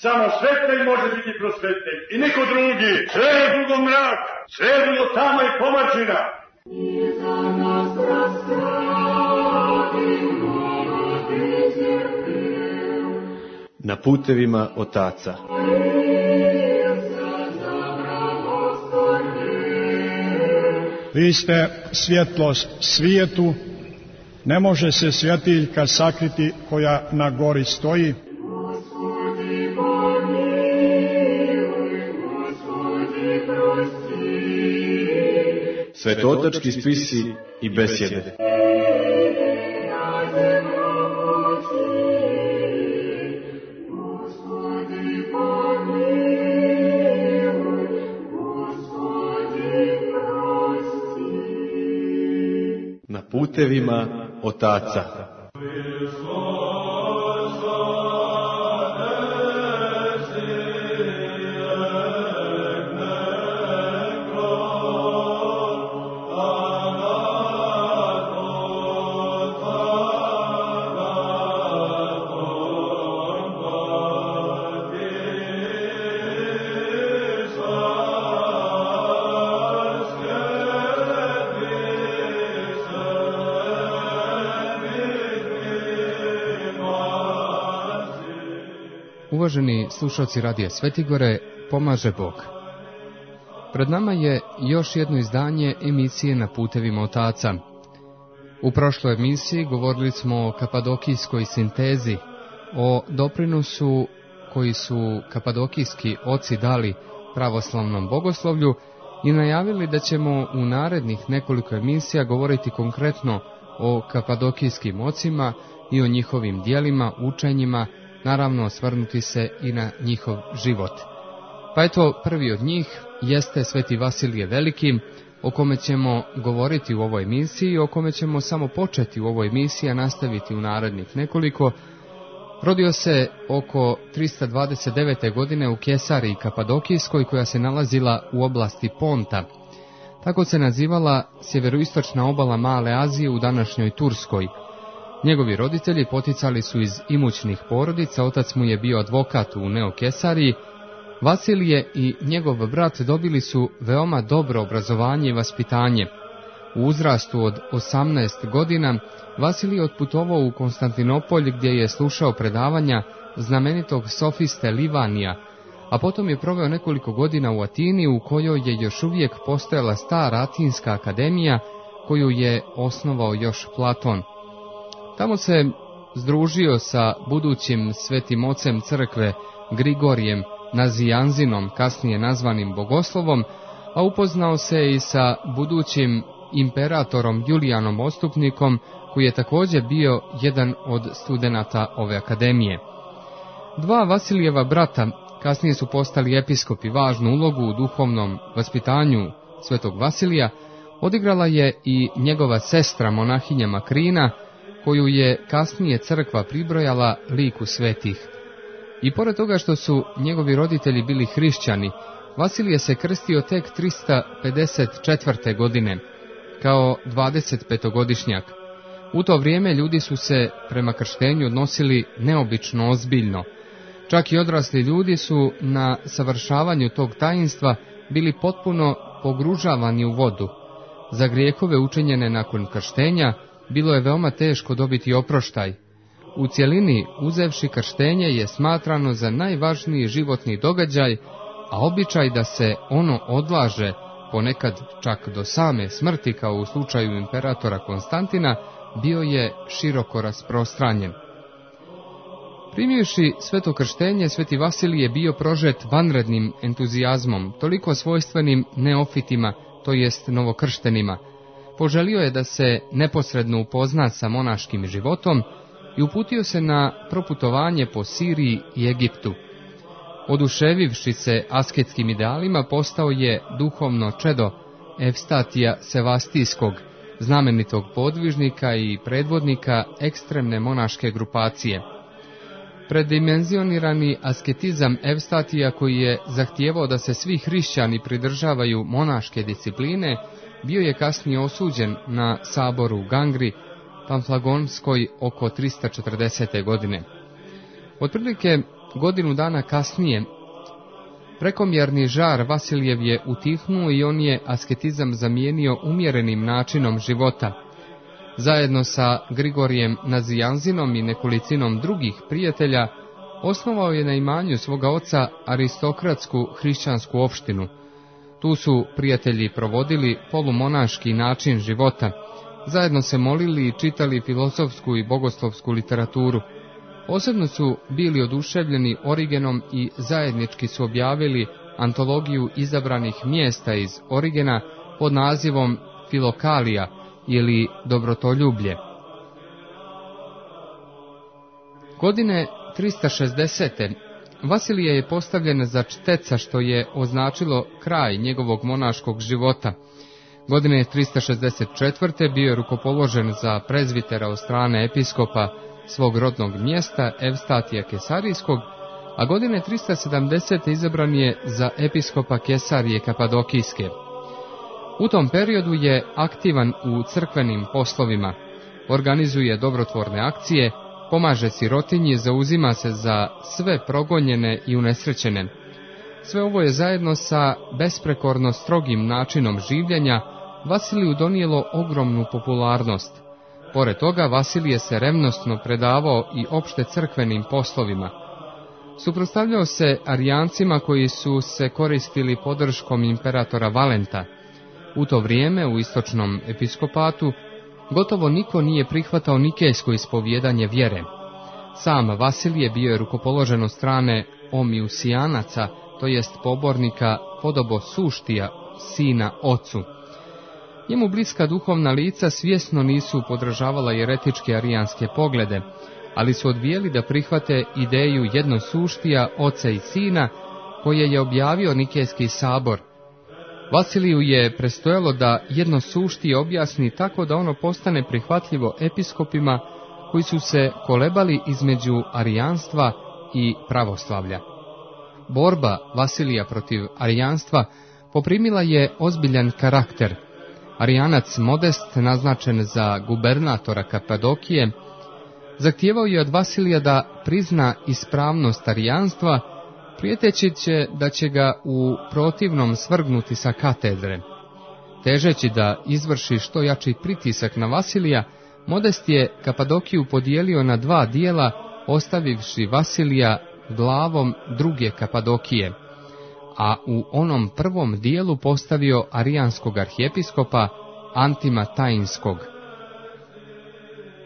Samo svetitelj može biti prosvetitelj i niko drugi. Sve je drugo mrak, sve je drugo tama i pomačina. Na putevima otaca. Vi ste svjetlost svijetu, ne može se svjetiljka sakriti koja na gori stoji. Svetotački spisi i besjede. Na putevima otaca. Uvaženi slušalci Radija Svetigore, pomaže Bog. Pred nama je još jedno izdanje emisije Na putevima otaca. U prošloj emisiji govorili smo o kapadokijskoj sintezi, o doprinosu koji su kapadokijski oci dali pravoslavnom bogoslovlju i najavili da ćemo u narednih nekoliko emisija govoriti konkretno o kapadokijskim ocima i o njihovim djelima, učenjima, naravno osvrnuti se i na njihov život. Pa eto, prvi od njih jeste Sveti Vasilije Veliki, o kome ćemo govoriti u ovoj emisiji, o kome ćemo samo početi u ovoj emisiji, a nastaviti u narednih nekoliko. Rodio se oko 329. godine u Kesariji Kapadokijskoj, koja se nalazila u oblasti Ponta. Tako se nazivala sjeveroistočna obala Male Azije u današnjoj Turskoj. Njegovi roditelji poticali su iz imućnih porodica, otac mu je bio advokat u Neokesariji. Vasilije i njegov brat dobili su veoma dobro obrazovanje i vaspitanje. U uzrastu od 18 godina Vasilije otputovao u Konstantinopolj, gdje je slušao predavanja znamenitog sofiste Livanija, a potom je proveo nekoliko godina u Atini, u kojoj je još uvijek postojala stara Atinska akademija, koju je osnovao još Platon. Tamo se združio sa budućim svetim ocem crkve Grigorijem Nazijanzinom, kasnije nazvanim bogoslovom, a upoznao se i sa budućim imperatorom Julijanom Odstupnikom, koji je također bio jedan od studenata ove akademije. Dva Vasilijeva brata kasnije su postali episkopi. Važnu ulogu u duhovnom vaspitanju svetog Vasilija odigrala je i njegova sestra monahinja Makrina, koju je kasnije crkva pribrojala liku svetih. I pored toga što su njegovi roditelji bili hrišćani, Vasilije se krstio tek 354. godine, kao 25-godišnjak. U to vrijeme ljudi su se prema krštenju odnosili neobično ozbiljno. Čak i odrasli ljudi su na savršavanju tog tajinstva bili potpuno pogružavani u vodu. Za grijehove učinjene nakon krštenja bilo je veoma teško dobiti oproštaj. U cjelini, uzevši krštenje, je smatrano za najvažniji životni događaj, a običaj da se ono odlaže, ponekad čak do same smrti, kao u slučaju imperatora Konstantina, bio je široko rasprostranjen. Primivši sveto krštenje, sveti Vasilije bio prožet vanrednim entuzijazmom, toliko svojstvenim neofitima, to jest novokrštenima. Poželio je da se neposredno upozna sa monaškim životom i uputio se na proputovanje po Siriji i Egiptu. Oduševivši se asketskim idealima, postao je duhovno čedo Evstatija Sevastijskog, znamenitog podvižnika i predvodnika ekstremne monaške grupacije. Predimenzionirani asketizam Evstatija, koji je zahtijevao da se svi hrišćani pridržavaju monaške discipline, bio je kasnije osuđen na saboru u Gangri, Pamflagonskoj oko 340. godine. Otprilike godinu dana kasnije, prekomjerni žar Vasilijev je utihnuo i on je asketizam zamijenio umjerenim načinom života. Zajedno sa Grigorijem Nazijanzinom i nekolicinom drugih prijatelja, osnovao je na imanju svoga oca aristokratsku hrišćansku opštinu. Tu su prijatelji provodili polumonaški način života, zajedno se molili i čitali filozofsku i bogoslovsku literaturu. Posebno su bili oduševljeni Origenom i zajednički su objavili antologiju izabranih mjesta iz Origena pod nazivom Filokalija ili Dobrotoljublje. Godine 360. Vasilije je postavljen za čteca, što je označilo kraj njegovog monaškog života. Godine 364. bio je rukopoložen za prezvitera od strane episkopa svog rodnog mjesta Evstatija Kesarijskog, a godine 370. izabran je za episkopa Kesarije Kapadokijske. U tom periodu je aktivan u crkvenim poslovima, organizuje dobrotvorne akcije, pomaže sirotinji, zauzima se za sve progonjene i unesrećene. Sve ovo je zajedno sa besprekorno strogim načinom življenja Vasiliju donijelo ogromnu popularnost. Pored toga, Vasilije se revnosno predavao i opšte crkvenim poslovima. Suprotstavljao se Arijancima koji su se koristili podrškom imperatora Valenta. U to vrijeme u istočnom episkopatu gotovo niko nije prihvatao nikejsko ispovjedanje vjere. Sam Vasilije bio je rukopoložen od strane Omiusijanaca, to jest pobornika Podobosuštija, sina ocu. Njemu bliska duhovna lica svjesno nisu podržavala jeretičke arijanske poglede, ali su odbijeli da prihvate ideju jednosuštija, oca i sina, koje je objavio Nikejski sabor. Vasiliju je prestojalo da jednosuštije objasni tako da ono postane prihvatljivo episkopima koji su se kolebali između arijanstva i pravoslavlja. Borba Vasilija protiv arijanstva poprimila je ozbiljan karakter. Arijanac Modest, naznačen za gubernatora Kapadokije, zahtijevao je od Vasilija da prizna ispravnost arijanstva, prijeteći da će ga u protivnom svrgnuti sa katedre. Težeći da izvrši što jači pritisak na Vasilija, Modest je Kapadokiju podijelio na dva dijela, ostavivši Vasilija glavom druge Kapadokije, a u onom prvom dijelu postavio arijanskog arhijepiskopa Antima Tajinskog.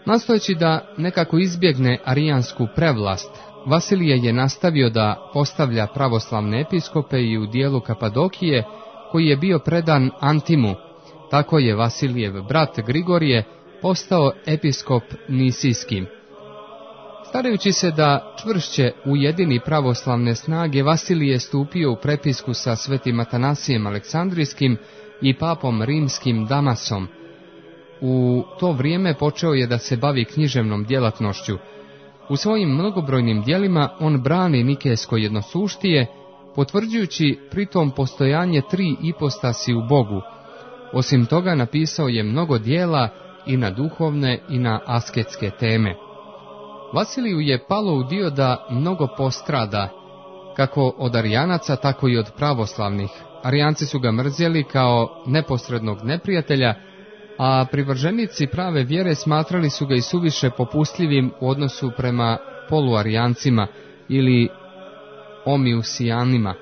Nastojeći da nekako izbjegne arijansku prevlast, Vasilije je nastavio da postavlja pravoslavne episkope i u dijelu Kapadokije, koji je bio predan Antimu. Tako je Vasilijev brat Grigorije postao episkop Nisijski. Starajući se da čvršće ujedini pravoslavne snage, Vasilije je stupio u prepisku sa svetim Atanasijem Aleksandrijskim i papom rimskim Damasom. U to vrijeme počeo je da se bavi književnom djelatnošću. U svojim mnogobrojnim djelima on brani nikejsko jednosuštije, potvrđujući pritom postojanje tri ipostasi u Bogu. Osim toga napisao je mnogo djela i na duhovne i na asketske teme. Vasiliju je palo u dio da mnogo postrada, kako od arijanaca, tako i od pravoslavnih. Arijanci su ga mrzjeli kao neposrednog neprijatelja, a privrženici prave vjere smatrali su ga i suviše popustljivim u odnosu prema poluarijancima ili omiusijanima.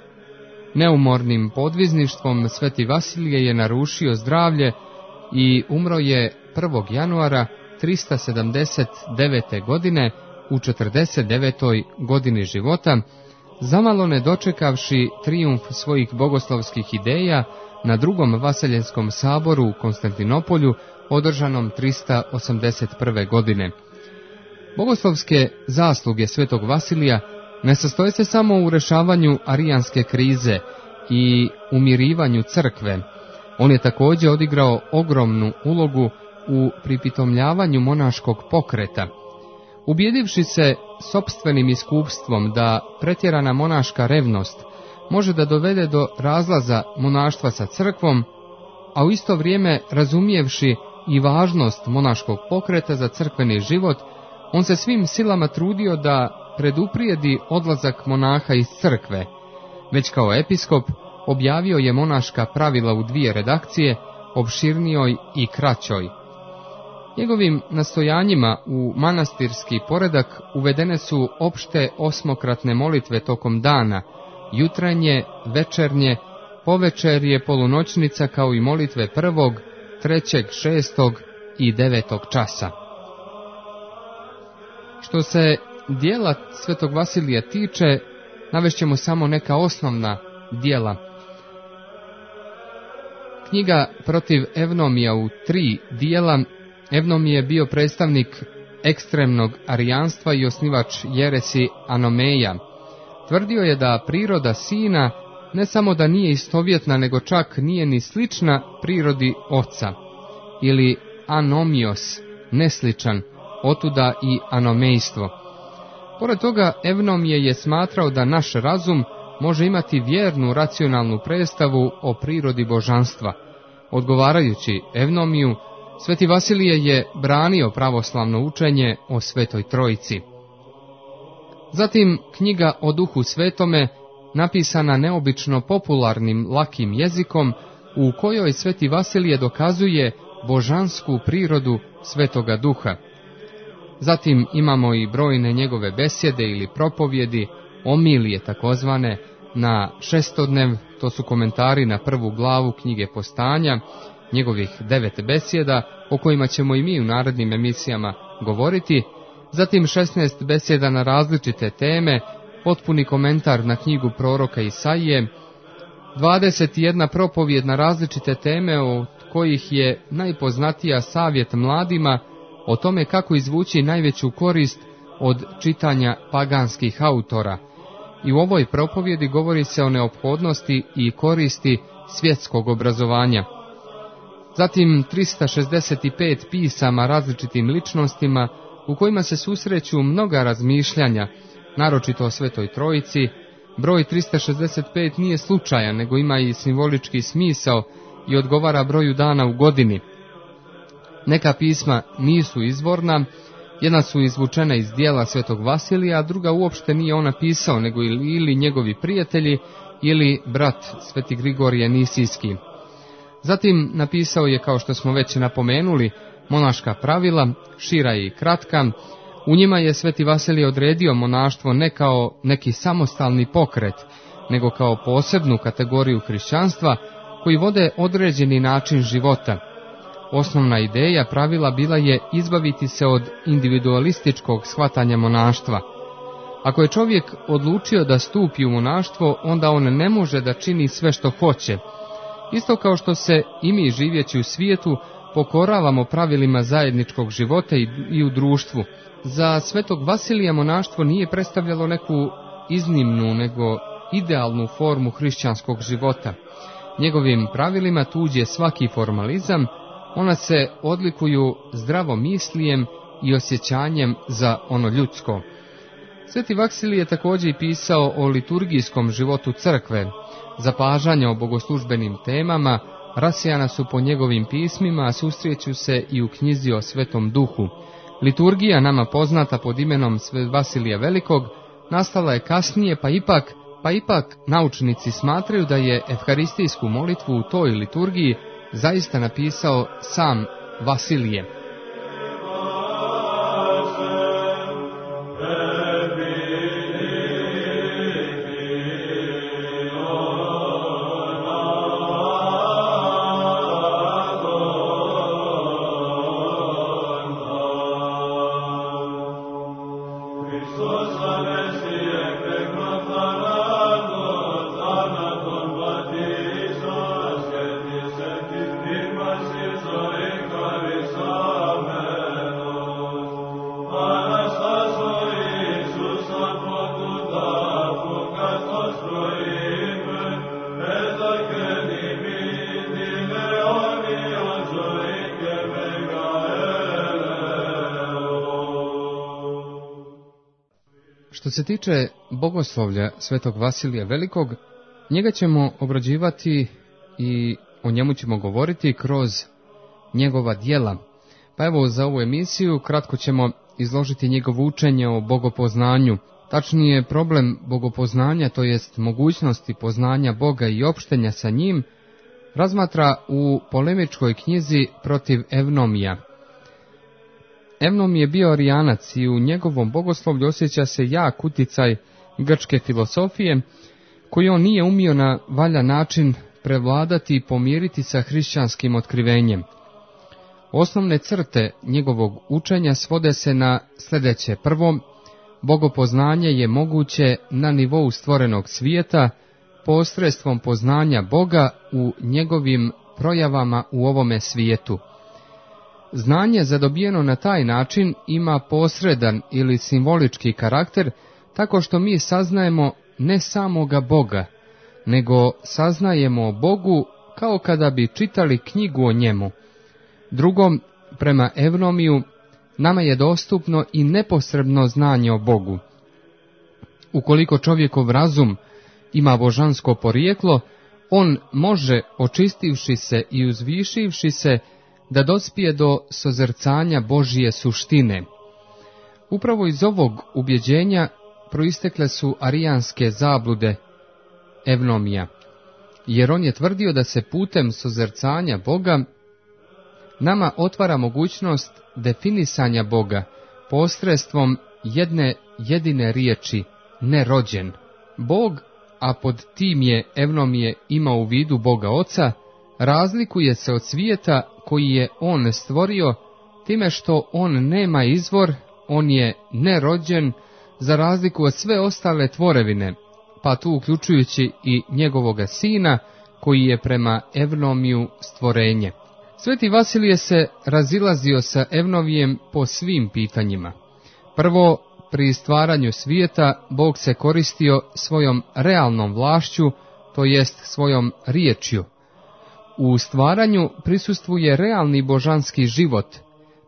Neumornim podvizništvom sveti Vasilije je narušio zdravlje i umro je 1. januara 379. godine u 49. godini života, zamalo ne dočekavši trijumf svojih bogoslovskih ideja na drugom Vaseljenskom saboru u Konstantinopolju, održanom 381. godine. Bogoslovske zasluge svetog Vasilija ne sastoje se samo u rješavanju arijanske krize i umirivanju crkve. On je također odigrao ogromnu ulogu u pripitomljavanju monaškog pokreta. Ubjedivši se sopstvenim iskupstvom da pretjerana monaška revnost može da dovede do razlaza monaštva sa crkvom, a u isto vrijeme razumijevši i važnost monaškog pokreta za crkveni život, on se svim silama trudio da preduprijedi odlazak monaha iz crkve. Već kao episkop objavio je monaška pravila u 2 redakcije, opširnijoj i kraćoj. Njegovim nastojanjima u manastirski poredak uvedene su opšte 8-kratne molitve tokom dana, jutranje, večernje, povečerje, polunoćnica, kao i molitve 1., 3., 6. i 9. časa. Što se dijela svetog Vasilija tiče, navešćemo samo neka osnovna dijela. Knjiga Protiv Evnomija u 3 dijela. Evnomije je bio predstavnik ekstremnog arijanstva i osnivač jeresi Anomeja. Tvrdio je da priroda sina ne samo da nije istovjetna, nego čak nije ni slična prirodi oca, ili anomios, nesličan, otuda i anomejstvo. Pored toga, Evnomije je smatrao da naš razum može imati vjernu racionalnu predstavu o prirodi božanstva. Odgovarajući Evnomiju, Sveti Vasilije je branio pravoslavno učenje o Svetoj Trojici. Zatim knjiga o Duhu Svetome, napisana neobično popularnim, lakim jezikom, u kojoj Sveti Vasilije dokazuje božansku prirodu Svetoga Duha. Zatim imamo i brojne njegove besjede ili propovjedi, omilije takozvane, na šestodnev, to su komentari na 1. glavu knjige Postanja, njegovih 9 besjeda, o kojima ćemo i mi u narednim emisijama govoriti, zatim 16 besjeda na različite teme, potpuni komentar na knjigu proroka Isaije, 21 propovjed na različite teme, od kojih je najpoznatija savjet mladima o tome kako izvući najveću korist od čitanja paganskih autora. I u ovoj propovjedi govori se o neophodnosti i koristi svjetskog obrazovanja. Zatim 365 pisama različitim ličnostima u kojima se susreću mnoga razmišljanja, naročito o Svetoj Trojici. Broj 365 nije slučajan, nego ima i simbolički smisao i odgovara broju dana u godini. Neka pisma nisu izvorna, jedna su izvučena iz dijela Svetog Vasilija, a druga uopšte nije on napisao, nego ili njegovi prijatelji ili brat Sveti Grigorije Nisijski. Zatim napisao je, kao što smo već napomenuli, monaška pravila, šira i kratka. U njima je Sveti Vasilije odredio monaštvo ne kao neki samostalni pokret, nego kao posebnu kategoriju hrišćanstva koji vode određeni način života. Osnovna ideja pravila bila je izbaviti se od individualističkog shvatanja monaštva. Ako je čovjek odlučio da stupi u monaštvo, onda on ne može da čini sve što hoće. Isto kao što se i mi, živeći u svijetu, pokoravamo pravilima zajedničkog života i u društvu. Za Svetog Vasilija monaštvo nije predstavljalo neku iznimnu, nego idealnu formu hrišćanskog života. Njegovim pravilima tuđe svaki formalizam, ona se odlikuju zdravomislijem i osjećanjem za ono ljudsko. Sveti Vasilije je također pisao o liturgijskom životu crkve. Zapažanja o bogoslužbenim temama rasijana su po njegovim pismima, a susreću se i u knjizi o Svetom Duhu. Liturgija, nama poznata pod imenom Svetog Vasilija Velikog, nastala je kasnije, pa ipak naučnici smatraju da je evharistijsku molitvu u toj liturgiji zaista napisao sam Vasilije. Što se tiče bogoslovlja Svetog Vasilija Velikog, njega ćemo obrađivati i o njemu ćemo govoriti kroz njegova djela. Pa evo, za ovu emisiju kratko ćemo izložiti njegovo učenje o bogopoznanju. Tačnije, problem bogopoznanja, to jest mogućnosti poznanja Boga i opštenja sa njim, razmatra u polemičkoj knjizi protiv Evnomija. Evnom je bio arijanac i u njegovom bogoslovlju osjeća se jak uticaj grčke filosofije, koji on nije umio na valjan način prevladati i pomiriti sa hrišćanskim otkrivenjem. Osnovne crte njegovog učenja svode se na sljedeće. Prvo, bogopoznanje je moguće na nivou stvorenog svijeta, posredstvom poznanja Boga u njegovim projavama u ovome svijetu. Znanje zadobijeno na taj način ima posredan ili simbolički karakter, tako što mi saznajemo ne samoga Boga, nego saznajemo o Bogu kao kada bi čitali knjigu o njemu. Drugom, prema Evnomiju, nama je dostupno i neposredno znanje o Bogu. Ukoliko čovjekov razum ima božansko porijeklo, on može, očistivši se i uzvišivši se, da dospije do sozrcanja Božije suštine. Upravo iz ovog ubjeđenja proistekle su arijanske zablude Evnomija, jer on je tvrdio da se putem sozrcanja Boga nama otvara mogućnost definisanja Boga posredstvom jedne jedine riječi, nerođen. Bog, a pod tim je Evnomije imao u vidu Boga Oca, razlikuje se od svijeta koji je on stvorio time što on nema izvor, on je nerođen, za razliku od sve ostale tvorevine, pa tu uključujući i njegovoga sina, koji je prema Evnomiju stvorenje. Sveti Vasilije se razilazio sa Evnomijem po svim pitanjima. Prvo, pri stvaranju svijeta Bog se koristio svojom realnom vlašću, to jest svojom riječju. U stvaranju prisustvuje realni božanski život,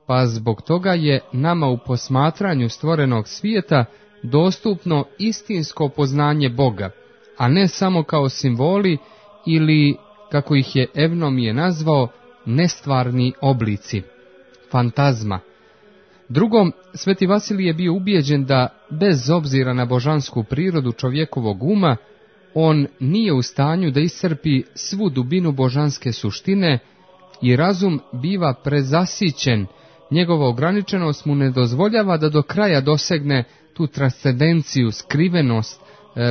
pa zbog toga je nama u posmatranju stvorenog svijeta dostupno istinsko poznanje Boga, a ne samo kao simboli ili, kako ih je Evnomije nazvao, nestvarni oblici, fantazma. Drugom, Sveti Vasilije je bio ubijeđen da, bez obzira na božansku prirodu čovjekovog uma, on nije u stanju da iscrpi svu dubinu božanske suštine i razum biva prezasićen, njegova ograničenost mu ne dozvoljava da do kraja dosegne tu transcendenciju, skrivenost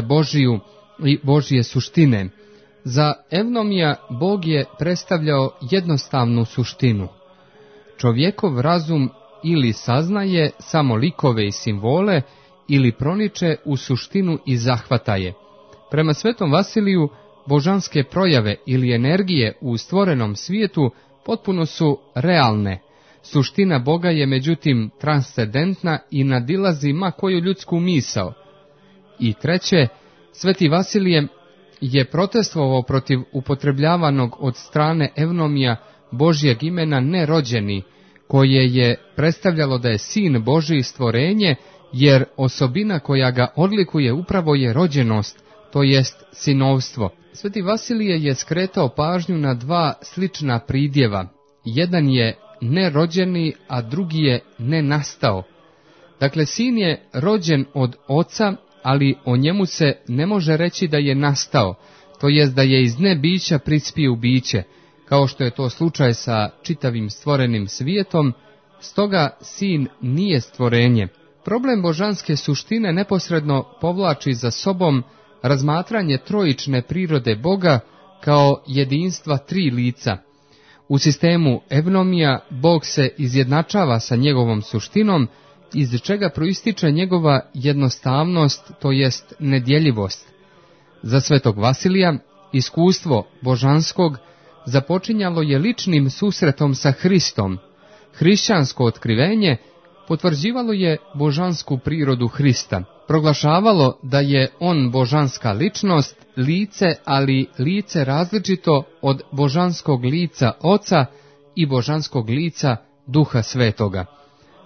Božiju i Božje suštine. Za Evnomija Bog je predstavljao jednostavnu suštinu. Čovjekov razum ili saznaje samo likove i simbole, ili proniče u suštinu i zahvata je. Prema Svetom Vasiliju, božanske projave ili energije u stvorenom svijetu potpuno su realne. Suština Boga je međutim transcendentna i nadilazi ma koju ljudsku misao. I treće, Sveti Vasilije je protestovao protiv upotrebljavanog od strane Evnomija Božjeg imena nerođeni, koje je predstavljalo da je sin Božji stvorenje, jer osobina koja ga odlikuje upravo je rođenost, to jest sinovstvo. Sveti Vasilije je skretao pažnju na dva slična pridjeva. Jedan je nerođeni, a drugi je nenastao. Dakle, sin je rođen od oca, ali o njemu se ne može reći da je nastao, to jest da je iz nebića prispio u biće, kao što je to slučaj sa čitavim stvorenim svijetom, stoga sin nije stvorenje. Problem božanske suštine neposredno povlači za sobom razmatranje trojične prirode Boga kao jedinstva tri lica. U sistemu Evnomija Bog se izjednačava sa njegovom suštinom, iz čega proističe njegova jednostavnost, to jest nedjeljivost. Za Svetog Vasilija iskustvo božanskog započinjalo je ličnim susretom sa Hristom. Hrišćansko otkrivenje potvrđivalo je božansku prirodu Hrista, proglašavalo da je on božanska ličnost, lice, ali lice različito od božanskog lica Oca i božanskog lica Duha Svetoga.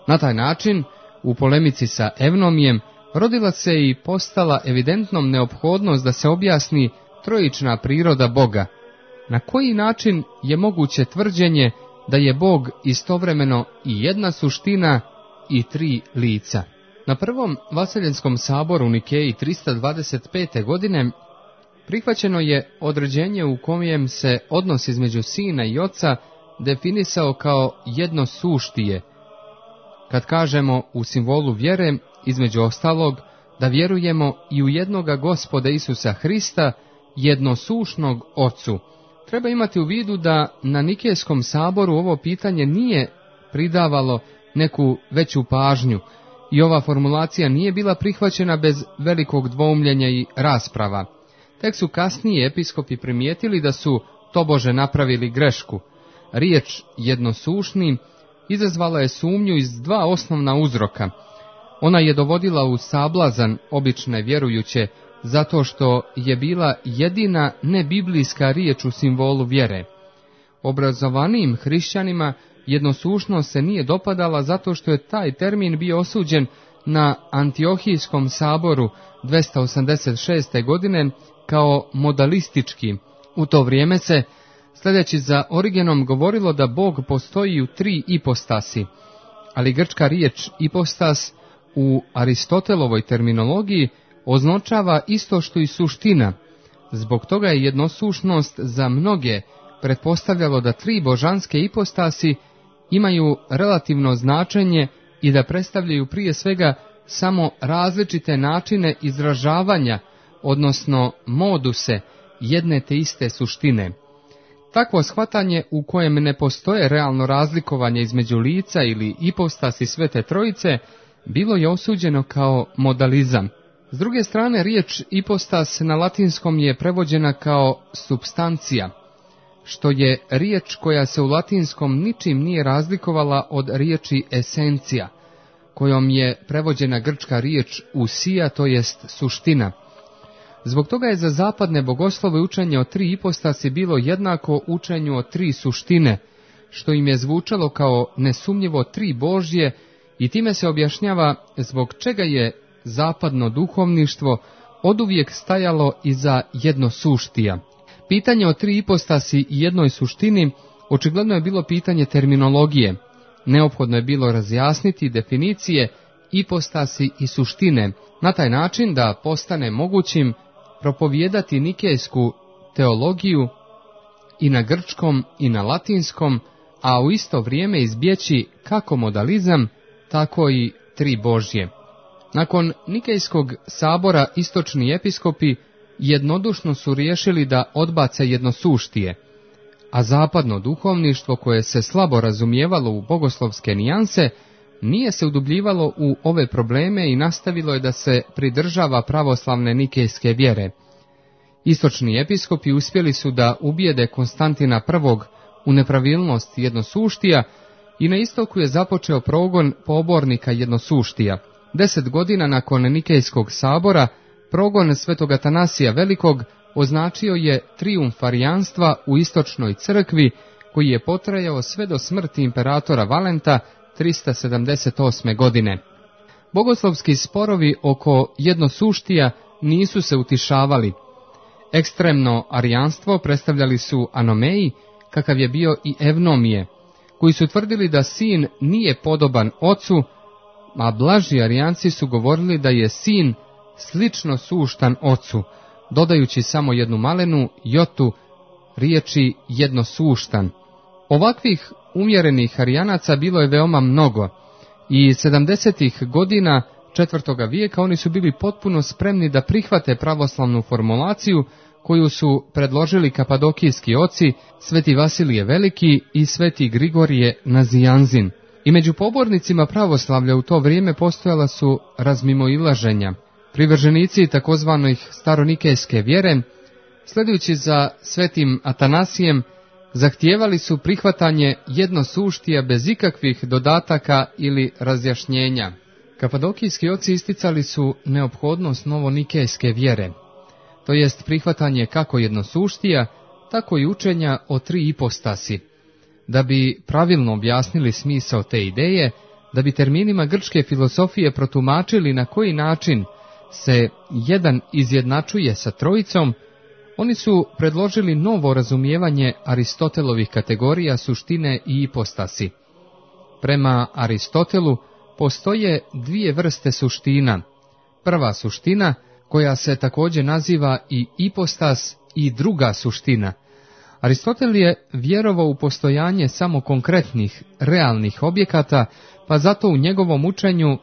Na taj način, u polemici sa Evnomijem, rodila se i postala evidentnom neophodnost da se objasni trojična priroda Boga. na koji način je moguće tvrđenje da je Bog istovremeno i jedna suština i tri lica. Na prvom Vaseljenskom saboru u Nikeji 325. godine prihvaćeno je određenje u kojem se odnos između Sina i Oca definisao kao jedno suštije. Kad kažemo u simbolu vjere, između ostalog, da vjerujemo i u jednoga Gospoda Isusa Hrista, jednosušnog Ocu, treba imati u vidu da na Nikejskom saboru ovo pitanje nije pridavalo neku veću pažnju i ova formulacija nije bila prihvaćena bez velikog dvoumljenja i rasprava. Tek su kasnije episkopi primijetili da su tobože napravili grešku. Riječ jednosušni izazvala je sumnju iz dva osnovna uzroka. Ona je dovodila u sablazan obične vjerujuće zato što je bila jedina nebiblijska riječ u simbolu vjere. Obrazovanijim hrišćanima jednosušnost se nije dopadala zato što je taj termin bio osuđen na Antiohijskom saboru 286. godine kao modalistički. U to vrijeme se, sljedeći za Origenom, govorilo da Bog postoji u tri ipostasi, ali grčka riječ ipostas u Aristotelovoj terminologiji označava isto što i suština. Zbog toga je jednosušnost za mnoge pretpostavljalo da tri božanske ipostasi imaju relativno značenje i da predstavljaju prije svega samo različite načine izražavanja, odnosno moduse jedne te iste suštine. Takvo shvatanje u kojem ne postoje realno razlikovanje između lica ili ipostasi Svete Trojice bilo je osuđeno kao modalizam. S druge strane, riječ ipostas na latinskom je prevođena kao substancija, što je riječ koja se u latinskom ničim nije razlikovala od riječi esencija, kojom je prevođena grčka riječ usija, to jest suština. Zbog toga je za zapadne bogoslove učenje o tri ipostasi bilo jednako učenju o tri suštine, što im je zvučalo kao nesumnjivo tri Božje, i time se objašnjava zbog čega je zapadno duhovništvo oduvijek stajalo iza jednosuštija. Pitanje o tri ipostasi i jednoj suštini očigledno je bilo pitanje terminologije. Neophodno je bilo razjasniti definicije ipostasi i suštine, na taj način da postane mogućim propovijedati nikejsku teologiju i na grčkom i na latinskom, a u isto vrijeme izbjeći kako modalizam, tako i tri Božje. Nakon Nikejskog sabora istočni episkopi jednodušno su riješili da odbace jednosuštije, a zapadno duhovništvo, koje se slabo razumijevalo u bogoslovske nijanse, nije se udubljivalo u ove probleme i nastavilo je da se pridržava pravoslavne nikejske vjere. Istočni episkopi uspjeli su da ubijede Konstantina I u nepravilnost jednosuštija i na istoku je započeo progon pobornika jednosuštija. 10 godina nakon Nikejskog sabora, progon svetog Atanasija Velikog označio je trijumf arijanstva u istočnoj crkvi, koji je potrajao sve do smrti imperatora Valenta 378. godine. Bogoslovski sporovi oko jednosuštija nisu se utišavali. Ekstremno arijanstvo predstavljali su Anomeji, kakav je bio i Evnomije, koji su tvrdili da sin nije podoban ocu, a blaži arijanci su govorili da je sin slično suštan ocu, dodajući samo jednu malenu jotu riječi jednosuštan. Ovakvih umjerenih arijanaca bilo je veoma mnogo i 70. godina 4. vijeka oni su bili potpuno spremni da prihvate pravoslavnu formulaciju koju su predložili kapadokijski oci, sveti Vasilije Veliki i sveti Grigorije Nazijanzin. I među pobornicima pravoslavlja u to vrijeme postojala su razmimoilaženja. Privrženici takozvanih staronikejske vjere, sledujući za svetim Atanasijem, zahtijevali su prihvatanje jednosuštija bez ikakvih dodataka ili razjašnjenja. Kapadokijski oci isticali su neophodnost novonikejske vjere, to jest prihvatanje kako jednosuštija, tako i učenja o tri ipostasi. Da bi pravilno objasnili smisao te ideje, da bi terminima grčke filosofije protumačili na koji način se jedan izjednačuje sa trojicom, Oni su predložili novo razumijevanje Aristotelovih kategorija suštine i ipostasi. Prema Aristotelu postoje dvije vrste suština. Prva suština, koja se također naziva i ipostas, i druga suština. Aristotel je vjerovao u postojanje samo konkretnih, realnih objekata, pa zato u njegovom učenju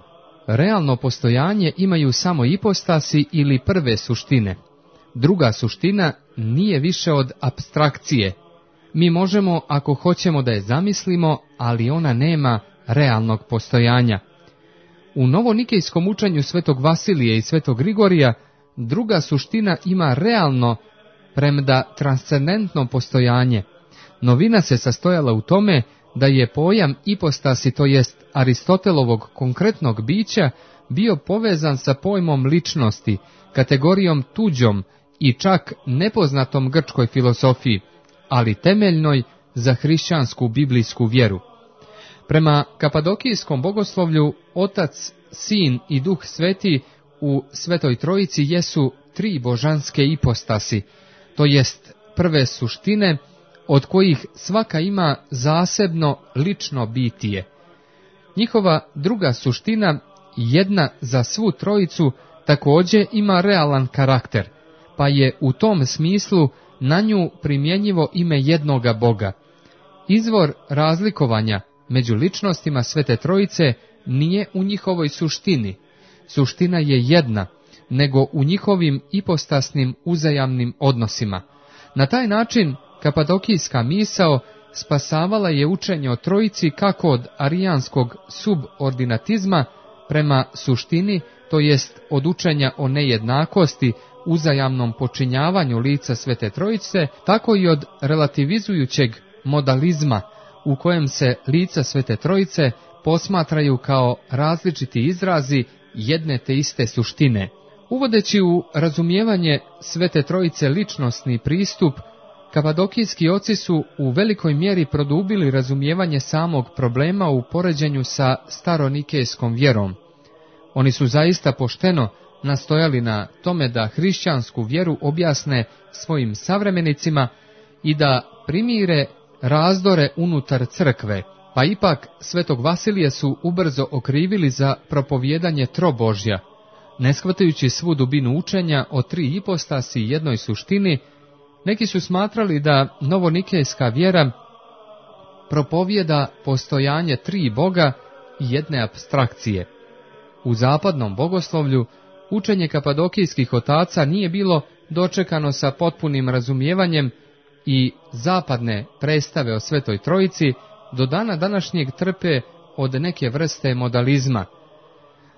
realno postojanje imaju samo ipostasi ili prve suštine. Druga suština nije više od apstrakcije. Mi možemo, ako hoćemo, da je zamislimo, ali ona nema realnog postojanja. U novonikejskom učenju svetog Vasilije i svetog Grigorija druga suština ima realno, premda transcendentno postojanje. Novina se sastojala u tome da je pojam ipostasi, to jest Aristotelovog konkretnog bića, bio povezan sa pojmom ličnosti, kategorijom tuđom i čak nepoznatom grčkoj filozofiji, ali temeljnoj za hrišćansku biblijsku vjeru. Prema kapadokijskom bogoslovlju, Otac, Sin i Duh Sveti u Svetoj Trojici jesu tri božanske ipostasi, to jest prve suštine, od kojih svaka ima zasebno lično bitije. Njihova druga suština, jedna za svu trojicu, također ima realan karakter, pa je u tom smislu na nju primjenjivo ime jednoga Boga. Izvor razlikovanja među ličnostima Svete Trojice nije u njihovoj suštini. Suština je jedna, nego u njihovim ipostasnim uzajamnim odnosima. Na taj način kapadokijska misao spasavala je učenje o Trojici kako od arijanskog subordinatizma prema suštini, to jest od učenja o nejednakosti, uzajamnom počinjavanju lica Svete Trojice, tako i od relativizujućeg modalizma u kojem se lica Svete Trojice posmatraju kao različiti izrazi jedne te iste suštine. Uvodeći u razumijevanje Svete Trojice ličnosni pristup, kapadokijski oci su u velikoj mjeri produbili razumijevanje samog problema u poređenju sa staronikejskom vjerom. Oni su zaista pošteno nastojali na tome da hrišćansku vjeru objasne svojim savremenicima i da primire razdore unutar crkve, pa ipak svetog Vasilija su ubrzo okrivili za propovijedanje trobožja. Ne shvatajući svu dubinu učenja o tri ipostasi i jednoj suštini, neki su smatrali da novonikejska vjera propovijeda postojanje tri Boga i jedne apstrakcije. U zapadnom bogoslovlju učenje kapadokijskih otaca nije bilo dočekano sa potpunim razumijevanjem i zapadne predstave o Svetoj Trojici do dana današnjeg trpe od neke vrste modalizma.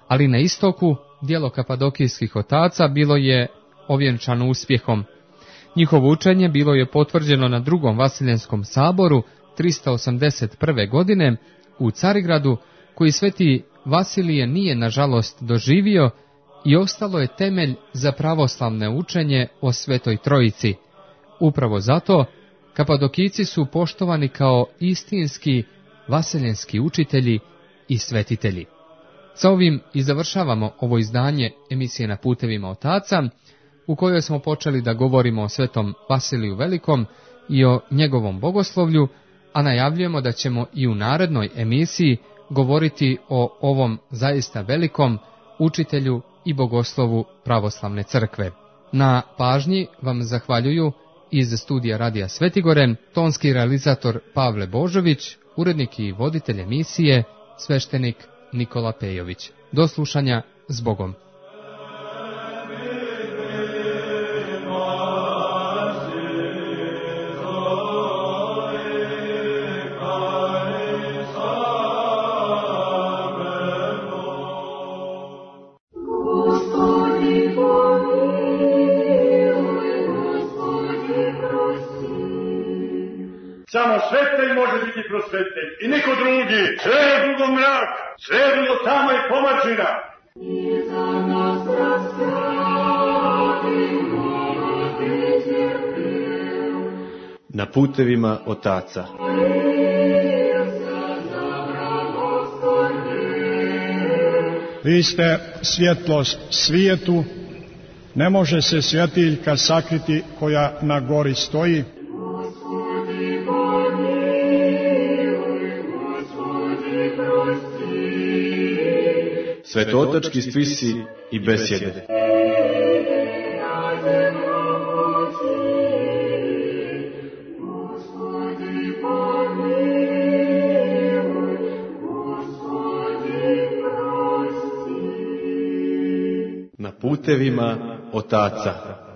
Ali na istoku djelo kapadokijskih otaca bilo je ovjenčano uspjehom. Njihovo učenje bilo je potvrđeno na drugom Vasiljenskom saboru 381. godine u Carigradu, koji sveti Vasilije nije nažalost doživio, i ostalo je temelj za pravoslavne učenje o Svetoj Trojici. Upravo zato kapadokijci su poštovani kao istinski vasiljenski učitelji i svetitelji. Sa ovim i završavamo ovo izdanje emisije Na putevima otaca, u kojoj smo počeli da govorimo o svetom Vasiliju Velikom i o njegovom bogoslovlju, a najavljujemo da ćemo i u narednoj emisiji govoriti o ovom zaista velikom učitelju i bogoslovu pravoslavne crkve. Na pažnji vam zahvaljuju iz studija Radija Svetigore tonski realizator Pavle Božović, urednik i voditelj emisije sveštenik Nikola Pejović. Do slušanja, s Bogom. Samo svetitelj može biti prosvetitelj i niko drugi. Sve je drugo mrak, sve je drugo tama i pomačina. Na putevima otaca. Vi ste svjetlost svijetu, Ne može se svjetiljka sakriti koja na gori stoji. Svetotački spisi i besjede. Na putevima otaca.